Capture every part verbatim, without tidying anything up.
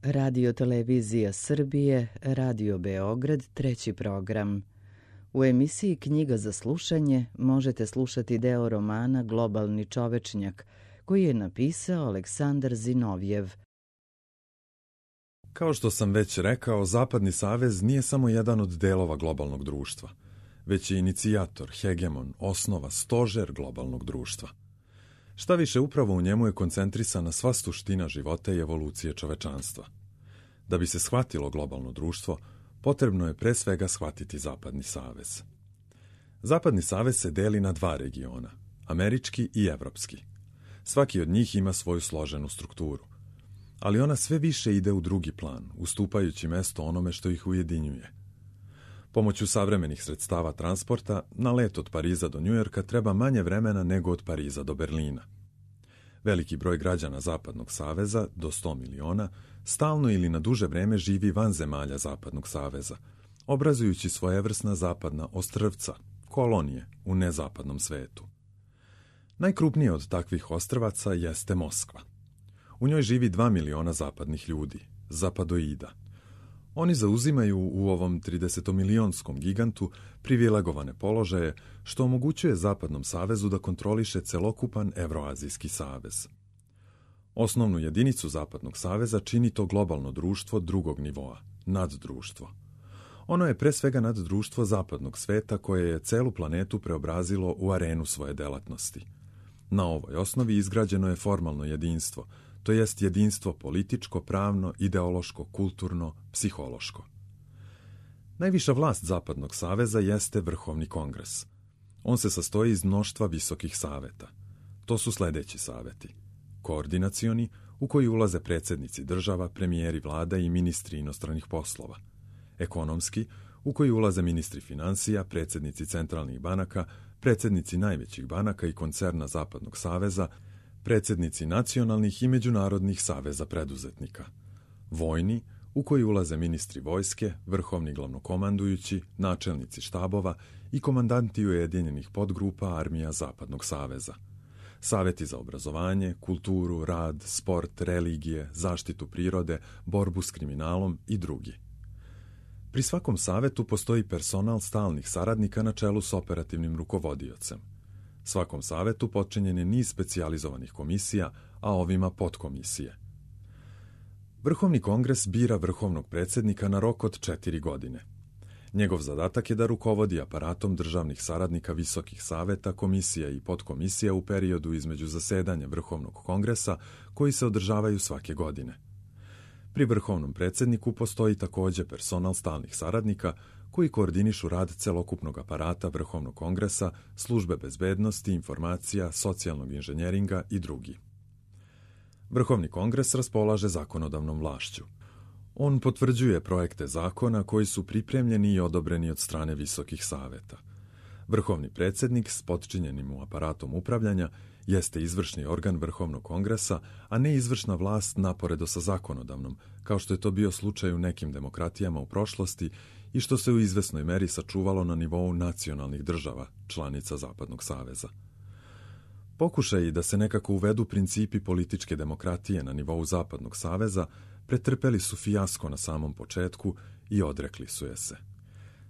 Radio Televizija Srbije, Radio Beograd, treći program. U emisiji Knjiga za slušanje možete slušati deo romana Globalni čovečnjak, koji je napisao Aleksandar Zinovjev. Kao što sam već rekao, Zapadni savez nije samo jedan od delova globalnog društva, već je inicijator, hegemon, osnova, stožer globalnog društva. Šta više, upravo u njemu je koncentrisana sva suština života i evolucije čovečanstva. Da bi se shvatilo globalno društvo, potrebno je pre svega shvatiti Zapadni savez. Zapadni savez se deli na dva regiona, američki i evropski. Svaki od njih ima svoju složenu strukturu, ali ona sve više ide u drugi plan, ustupajući mesto onome što ih ujedinjuje. Pomoću savremenih sredstava transporta, na let od Pariza do Njujorka treba manje vremena nego od Pariza do Berlina. Veliki broj građana Zapadnog saveza, do sto miliona, stalno ili na duže vreme živi van zemalja Zapadnog saveza, obrazujući svojevrsna zapadna ostrvca, kolonije u nezapadnom svetu. Najkrupnije od takvih ostrvaca jeste Moskva. U njoj živi dva miliona zapadnih ljudi, zapadoida. Oni zauzimaju u ovom tridesetomilionskom gigantu privilegovane položaje, što omogućuje Zapadnom savezu da kontroliše celokupan Evroazijski savez. Osnovnu jedinicu Zapadnog saveza čini to globalno društvo drugog nivoa, naddruštvo. Ono je pre svega naddruštvo zapadnog sveta koje je celu planetu preobrazilo u arenu svoje delatnosti. Na ovoj osnovi izgrađeno je formalno jedinstvo, to jest jedinstvo političko, pravno, ideološko, kulturno, psihološko. Najviša vlast Zapadnog saveza jeste Vrhovni kongres. On se sastoji iz mnoštva visokih saveta. To su sledeći saveti: koordinacioni, u koji ulaze predsjednici država, premijeri vlada i ministri inostranih poslova; ekonomski, u koji ulaze ministri finansija, predsjednici centralnih banaka, predsjednici najvećih banaka i koncerna Zapadnog saveza, predsjednici nacionalnih i međunarodnih saveza preduzetnika; vojni, u koji ulaze ministri vojske, vrhovni glavnokomandujući, načelnici štabova i komandanti ujedinjenih podgrupa armija Zapadnog saveza; saveti za obrazovanje, kulturu, rad, sport, religije, zaštitu prirode, borbu s kriminalom i drugi. Pri svakom savetu postoji personal stalnih saradnika na čelu s operativnim rukovodiocem. Svakom savetu potčinjen je niz specijalizovanih komisija, a ovima podkomisije. Vrhovni kongres bira vrhovnog predsjednika na rok od četiri godine. Njegov zadatak je da rukovodi aparatom državnih saradnika visokih saveta, komisija i podkomisija u periodu između zasedanja Vrhovnog kongresa, koji se održavaju svake godine. Pri vrhovnom predsjedniku postoji također personal stalnih saradnika koji koordinišu rad celokupnog aparata Vrhovnog kongresa, službe bezbednosti, informacija, socijalnog inženjeringa i drugi. Vrhovni kongres raspolaže zakonodavnom vlašću. On potvrđuje projekte zakona koji su pripremljeni i odobreni od strane visokih saveta. Vrhovni predsjednik s potčinjenim mu aparatom upravljanja jeste izvršni organ Vrhovnog kongresa, a ne izvršna vlast naporedo sa zakonodavnom, kao što je to bio slučaj u nekim demokratijama u prošlosti i što se u izvesnoj meri sačuvalo na nivou nacionalnih država, članica Zapadnog saveza. Pokušaji da se nekako uvedu principi političke demokratije na nivou Zapadnog saveza pretrpeli su fijasko na samom početku i odrekli su je se.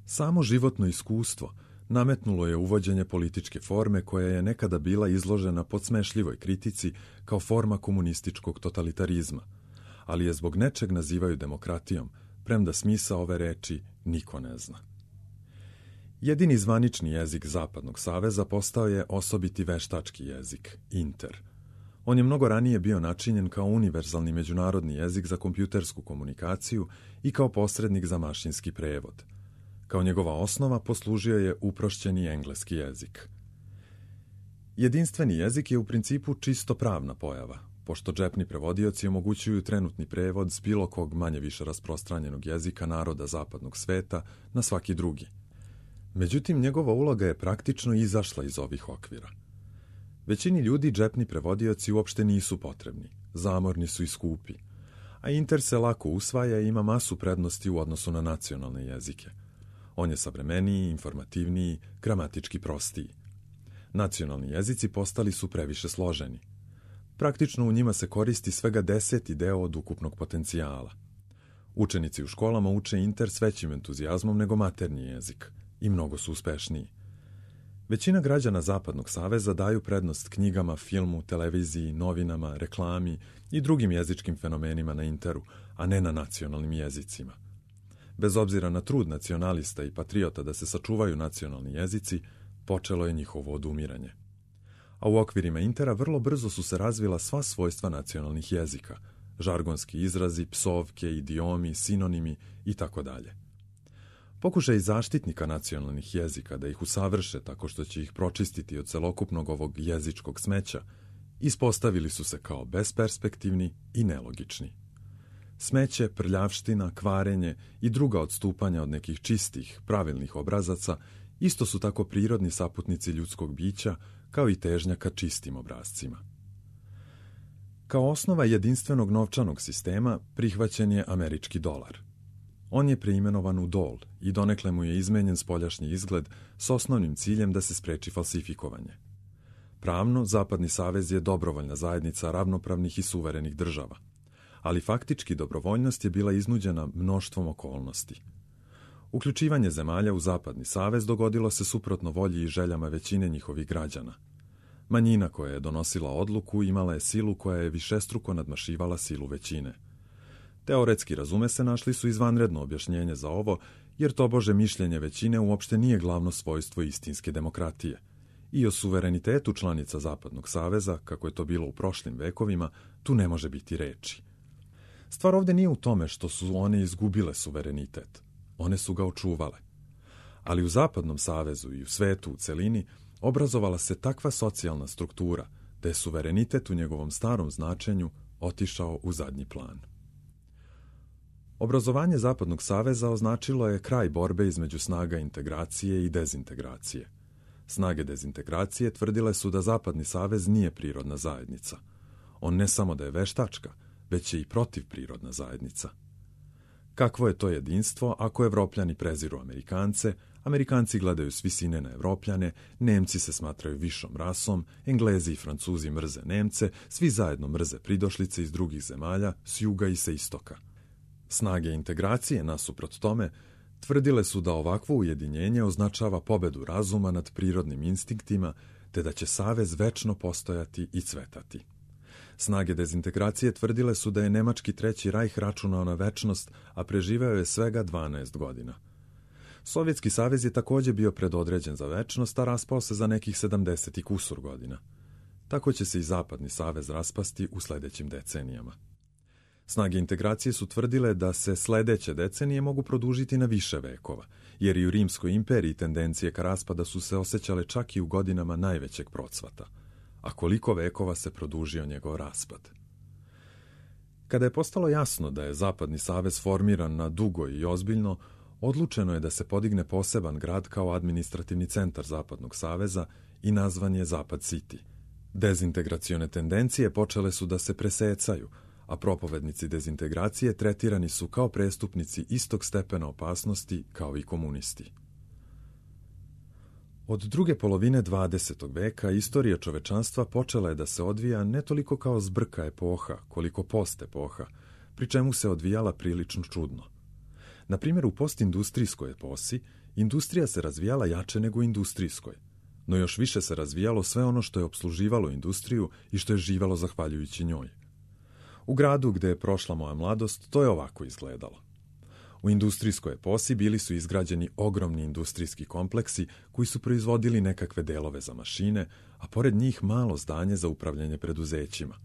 Samo životno iskustvo nametnulo je uvođenje političke forme koja je nekada bila izložena podsmešljivoj kritici kao forma komunističkog totalitarizma, ali je zbog nečeg nazivaju demokratijom, premda smisao ove reči niko ne zna. Jedini zvanični jezik Zapadnog saveza postao je osobiti veštački jezik, inter. On je mnogo ranije bio načinjen kao univerzalni međunarodni jezik za kompjutersku komunikaciju i kao posrednik za mašinski prevod. Kao njegova osnova poslužio je uprošćeni engleski jezik. Jedinstveni jezik je u principu čisto pravna pojava, pošto džepni prevodioci omogućuju trenutni prevod s bilo kog manje više rasprostranjenog jezika naroda zapadnog sveta na svaki drugi. Međutim, njegova uloga je praktično izašla iz ovih okvira. Većini ljudi džepni prevodioci uopšte nisu potrebni, zamorni su i skupi, a inter se lako usvaja i ima masu prednosti u odnosu na nacionalne jezike. On je savremeniji, informativniji, gramatički prostiji. Nacionalni jezici postali su previše složeni. Praktično u njima se koristi svega deseti deo od ukupnog potencijala. Učenici u školama uče Inter s većim entuzijazmom nego maternji jezik i mnogo su uspešniji. Većina građana Zapadnog saveza daju prednost knjigama, filmu, televiziji, novinama, reklami i drugim jezičkim fenomenima na Interu, a ne na nacionalnim jezicima. Bez obzira na trud nacionalista i patriota da se sačuvaju nacionalni jezici, počelo je njihovo odumiranje. A u okvirima Intera vrlo brzo su se razvila sva svojstva nacionalnih jezika, žargonski izrazi, psovke, idiomi, sinonimi i tako dalje. Pokušaj zaštitnika nacionalnih jezika da ih usavrše tako što će ih pročistiti od celokupnog ovog jezičkog smeća, ispostavili su se kao besperspektivni i nelogični. Smeće, prljavština, kvarenje i druga odstupanja od nekih čistih, pravilnih obrazaca isto su tako prirodni saputnici ljudskog bića kao i težnja ka čistim obrazcima. Kao osnova jedinstvenog novčanog sistema prihvaćen je američki dolar. On je preimenovan u dol i donekle mu je izmenjen spoljašnji izgled s osnovnim ciljem da se spreči falsifikovanje. Pravno, Zapadni savez je dobrovoljna zajednica ravnopravnih i suverenih država, ali faktički dobrovoljnost je bila iznuđena mnoštvom okolnosti. Uključivanje zemalja u Zapadni savez dogodilo se suprotno volji i željama većine njihovih građana. Manjina koja je donosila odluku imala je silu koja je višestruko nadmašivala silu većine. Teoretski, razume se, našli su izvanredno objašnjenje za ovo, jer tobože mišljenje većine uopšte nije glavno svojstvo istinske demokratije. I o suverenitetu članica Zapadnog saveza, kako je to bilo u prošlim vekovima, tu ne može biti reči. Stvar ovde nije u tome što su one izgubile suverenitet. One su ga očuvale. Ali u Zapadnom savezu i u svetu u celini obrazovala se takva socijalna struktura da je suverenitet u njegovom starom značenju otišao u zadnji plan. Obrazovanje Zapadnog saveza označilo je kraj borbe između snaga integracije i dezintegracije. Snage dezintegracije tvrdile su da Zapadni savez nije prirodna zajednica. On ne samo da je veštačka, već je i protivprirodna zajednica. Kakvo je to jedinstvo ako Evropljani preziru Amerikance, Amerikanci gledaju s visine na Evropljane, Nemci se smatraju višom rasom, Englezi i Francuzi mrze Nemce, svi zajedno mrze pridošlice iz drugih zemalja, s juga i sa istoka. Snage integracije, nasuprot tome, tvrdile su da ovakvo ujedinjenje označava pobedu razuma nad prirodnim instinktima, te da će savez večno postojati i cvetati. Snage dezintegracije tvrdile su da je nemački treći rajh računao na večnost, a preživeo je svega dvanaest godina. Sovjetski savez je također bio predodređen za večnost, a raspao se za nekih sedamdeset i kusur godina. Tako će se i Zapadni savez raspasti u sledećim decenijama. Snage integracije su tvrdile da se sledeće decenije mogu produžiti na više vekova, jer i u Rimskoj imperiji tendencije ka raspada su se osjećale čak i u godinama najvećeg procvata. A koliko vekova se produžio njegov raspad? Kada je postalo jasno da je Zapadni savez formiran na dugo i ozbiljno, odlučeno je da se podigne poseban grad kao administrativni centar Zapadnog saveza i nazvan je Zapad City. Dezintegracione tendencije počele su da se presecaju, a propovednici dezintegracije tretirani su kao prestupnici istog stepena opasnosti kao i komunisti. Od druge polovine dvadesetog veka istorija čovečanstva počela je da se odvija ne toliko kao zbrka epoha, koliko post epoha, pri čemu se odvijala prilično čudno. Na primjer, u postindustrijskoj eposi industrija se razvijala jače nego u industrijskoj, no još više se razvijalo sve ono što je opsluživalo industriju i što je živalo zahvaljujući njoj. U gradu gde je prošla moja mladost, to je ovako izgledalo. U industrijskoj eposi bili su izgrađeni ogromni industrijski kompleksi koji su proizvodili nekakve delove za mašine, a pored njih malo zdanje za upravljanje preduzećima.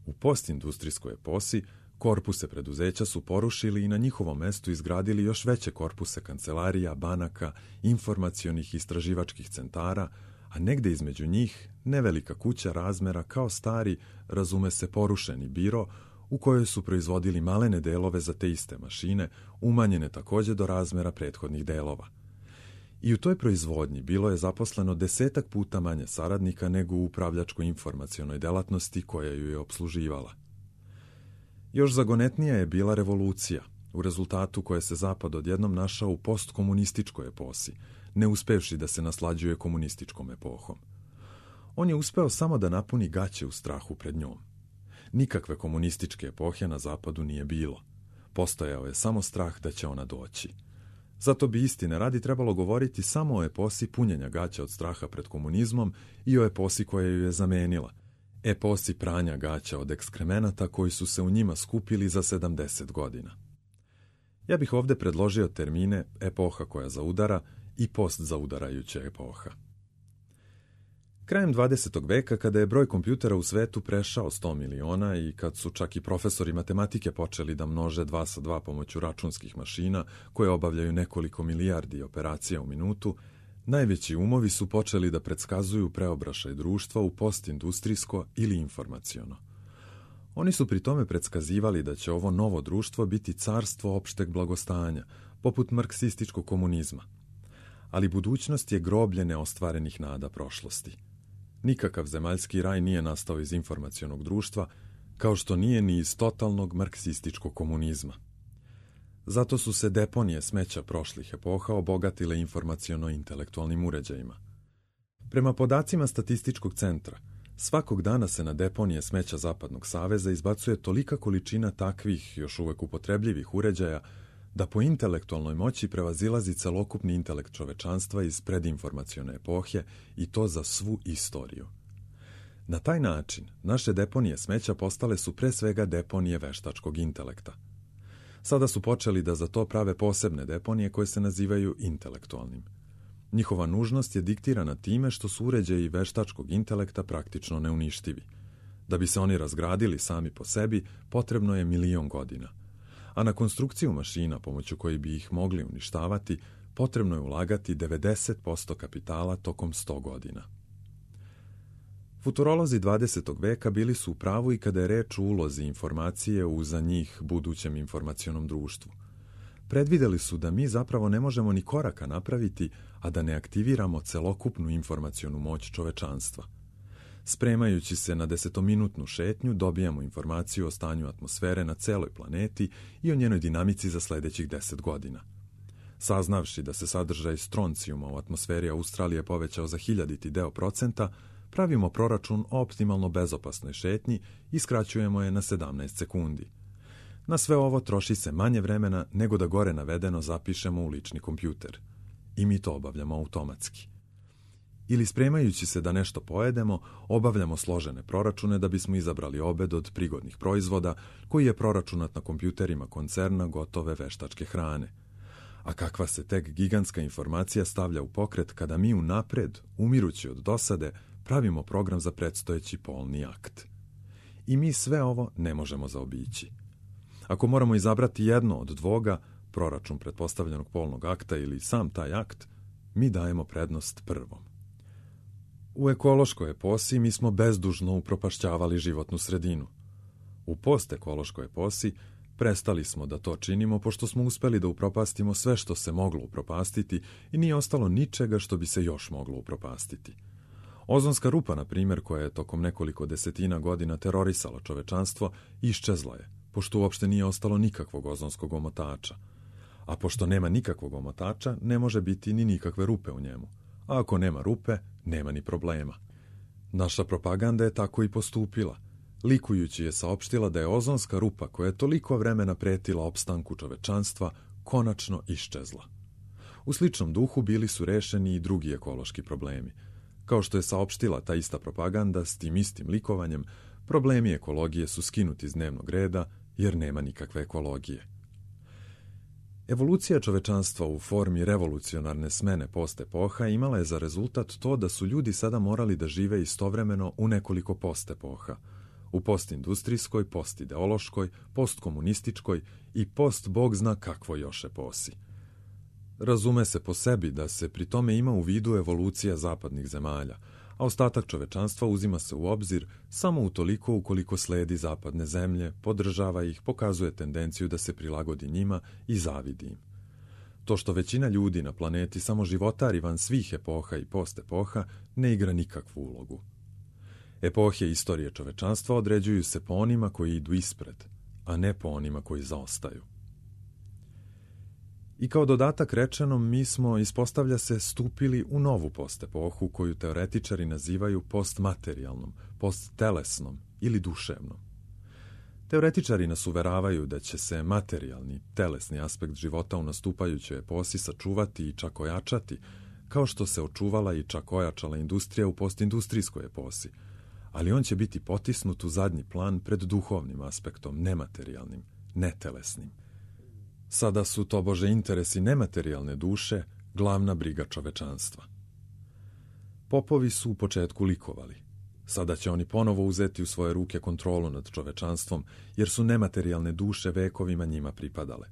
U postindustrijskoj eposi korpuse preduzeća su porušili i na njihovom mestu izgradili još veće korpuse kancelarija, banaka, informacionih i istraživačkih centara, a negde između njih nevelika kuća razmera kao stari, razume se, porušeni biro, u kojoj su proizvodili malene delove za te iste mašine, umanjene također do razmera prethodnih delova. I u toj proizvodnji bilo je zaposleno desetak puta manje saradnika nego u upravljačko-informacionoj delatnosti koja ju je opsluživala. Još zagonetnija je bila revolucija, u rezultatu koje se Zapad odjednom našao u postkomunističkoj eposi, ne uspevši da se naslađuje komunističkom epohom. On je uspeo samo da napuni gaće u strahu pred njom. Nikakve komunističke epohe na zapadu nije bilo. Postojao je samo strah da će ona doći. Zato bi istine radi trebalo govoriti samo o eposi punjenja gaća od straha pred komunizmom i o eposi koja ju je zamenila, eposi pranja gaća od ekskremenata koji su se u njima skupili za sedamdeset godina. Ja bih ovdje predložio termine epoha koja zaudara i postzaudarajuća epoha. Krajem dvadesetog veka, kada je broj kompjutera u svetu prešao sto miliona i kad su čak i profesori matematike počeli da množe dva sa dva pomoću računskih mašina koje obavljaju nekoliko milijardi operacija u minutu, najveći umovi su počeli da predskazuju preobrašaj društva u postindustrijsko ili informaciono. Oni su pri tome predskazivali da će ovo novo društvo biti carstvo opšteg blagostanja, poput marksističkog komunizma. Ali budućnost je groblje neostvarenih nada prošlosti. Nikakav zemaljski raj nije nastao iz informacionog društva, kao što nije ni iz totalnog marksističkog komunizma. Zato su se deponije smeća prošlih epoha obogatile informaciono-intelektualnim uređajima. Prema podacima Statističkog centra, svakog dana se na deponije smeća Zapadnog saveza izbacuje tolika količina takvih, još uvek upotrebljivih uređaja, da po intelektualnoj moći prevazilazi celokupni intelekt čovečanstva iz predinformacione epohe i to za svu istoriju. Na taj način, naše deponije smeća postale su pre svega deponije veštačkog intelekta. Sada su počeli da za to prave posebne deponije koje se nazivaju intelektualnim. Njihova nužnost je diktirana time što su uređaji veštačkog intelekta praktično neuništivi. Da bi se oni razgradili sami po sebi, potrebno je milion godina. A na konstrukciju mašina pomoću koji bi ih mogli uništavati, potrebno je ulagati devedeset posto kapitala tokom sto godina. Futurolozi dvadesetog veka bili su u pravu i kada je reč o ulozi informacije u za njih budućem informacionom društvu. Predvideli su da mi zapravo ne možemo ni koraka napraviti, a da ne aktiviramo celokupnu informacionu moć čovečanstva. Spremajući se na desetominutnu šetnju, dobijamo informaciju o stanju atmosfere na celoj planeti i o njenoj dinamici za sledećih deset godina. Saznavši da se sadržaj stroncijuma u atmosferi Australije povećao za hiljaditi deo procenta, pravimo proračun o optimalno bezopasnoj šetnji i skraćujemo je na sedamnaest sekundi. Na sve ovo troši se manje vremena nego da gore navedeno zapišemo u lični kompjuter. I mi to obavljamo automatski. Ili spremajući se da nešto pojedemo, obavljamo složene proračune da bismo izabrali obed od prigodnih proizvoda koji je proračunat na kompjuterima koncerna gotove veštačke hrane. A kakva se tek gigantska informacija stavlja u pokret kada mi unapred, umirući od dosade, pravimo program za predstojeći polni akt. I mi sve ovo ne možemo zaobići. Ako moramo izabrati jedno od dvoga, proračun pretpostavljenog polnog akta ili sam taj akt, mi dajemo prednost prvom. U ekološkoj eposi mi smo bezdužno upropašćavali životnu sredinu. U postekološkoj eposi prestali smo da to činimo pošto smo uspeli da upropastimo sve što se moglo upropastiti i nije ostalo ničega što bi se još moglo upropastiti. Ozonska rupa, na primjer, koja je tokom nekoliko desetina godina terorisala čovečanstvo, iščezla je, pošto uopšte nije ostalo nikakvog ozonskog omotača. A pošto nema nikakvog omotača, ne može biti ni nikakve rupe u njemu. A ako nema rupe, nema ni problema. Naša propaganda je tako i postupila. Likujući je saopštila da je ozonska rupa koja je toliko vremena pretila opstanku čovečanstva konačno iščezla. U sličnom duhu bili su rešeni i drugi ekološki problemi. Kao što je saopštila ta ista propaganda s tim istim likovanjem, problemi ekologije su skinuti iz dnevnog reda jer nema nikakve ekologije. Evolucija čovečanstva u formi revolucionarne smene postepoha imala je za rezultat to da su ljudi sada morali da žive istovremeno u nekoliko postepoha, u postindustrijskoj, postideološkoj, postkomunističkoj i post bog zna kakvoj još eposi. Razume se po sebi da se pri tome ima u vidu evolucija zapadnih zemalja, a ostatak čovečanstva uzima se u obzir samo utoliko ukoliko sledi zapadne zemlje, podržava ih, pokazuje tendenciju da se prilagodi njima i zavidi im. To što većina ljudi na planeti samo životari van svih epoha i postepoha ne igra nikakvu ulogu. Epohe istorije čovečanstva određuju se po onima koji idu ispred, a ne po onima koji zaostaju. I kao dodatak rečenom, mi smo, ispostavlja se, stupili u novu postepohu koju teoretičari nazivaju postmaterijalnom, posttelesnom ili duševnom. Teoretičari nas uveravaju da će se materijalni, telesni aspekt života u nastupajućoj eposi sačuvati i čak ojačati, kao što se očuvala i čak ojačala industrija u postindustrijskoj eposi, ali on će biti potisnut u zadnji plan pred duhovnim aspektom, nematerijalnim, netelesnim. Sada su tobože interesi nematerijalne duše glavna briga čovečanstva. Popovi su u početku likovali. Sada će oni ponovo uzeti u svoje ruke kontrolu nad čovečanstvom, jer su nematerijalne duše vekovima njima pripadale.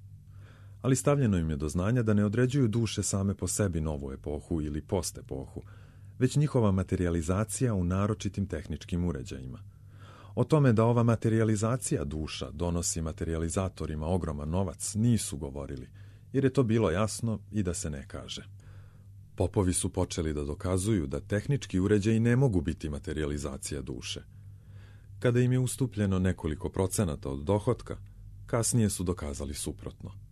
Ali stavljeno im je do znanja da ne određuju duše same po sebi novu epohu ili postepohu, već njihova materializacija u naročitim tehničkim uređajima. O tome da ova materializacija duša donosi materializatorima ogroman novac nisu govorili, jer je to bilo jasno i da se ne kaže. Popovi su počeli da dokazuju da tehnički uređaji ne mogu biti materializacija duše. Kada im je ustupljeno nekoliko procenata od dohotka, kasnije su dokazali suprotno.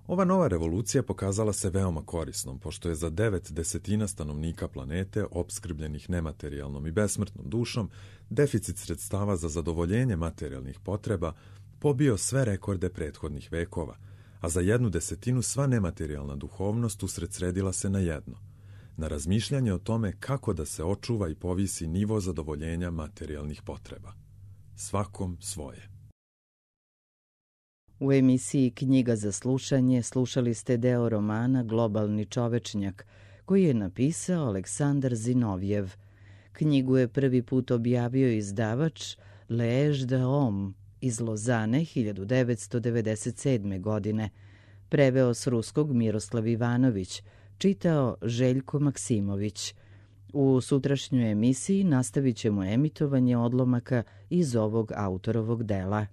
Ova nova revolucija pokazala se veoma korisnom, pošto je za devet desetina stanovnika planete, opskrbljenih nematerijalnom i besmrtnom dušom, deficit sredstava za zadovoljenje materijalnih potreba pobio sve rekorde prethodnih vekova, a za jednu desetinu sva nematerijalna duhovnost usredsredila se na jedno, na razmišljanje o tome kako da se očuva i povisi nivo zadovoljenja materijalnih potreba. Svakom svoje. U emisiji Knjiga za slušanje slušali ste deo romana Globalni čovečnjak, koji je napisao Aleksandar Zinovjev. Knjigu je prvi put objavio izdavač L'Age de Homme iz Lozane hiljadu devetsto devedeset sedme. godine. Preveo s ruskog Miroslav Ivanović, čitao Željko Maksimović. U sutrašnjoj emisiji nastavit ćemo emitovanje odlomaka iz ovog autorovog dela.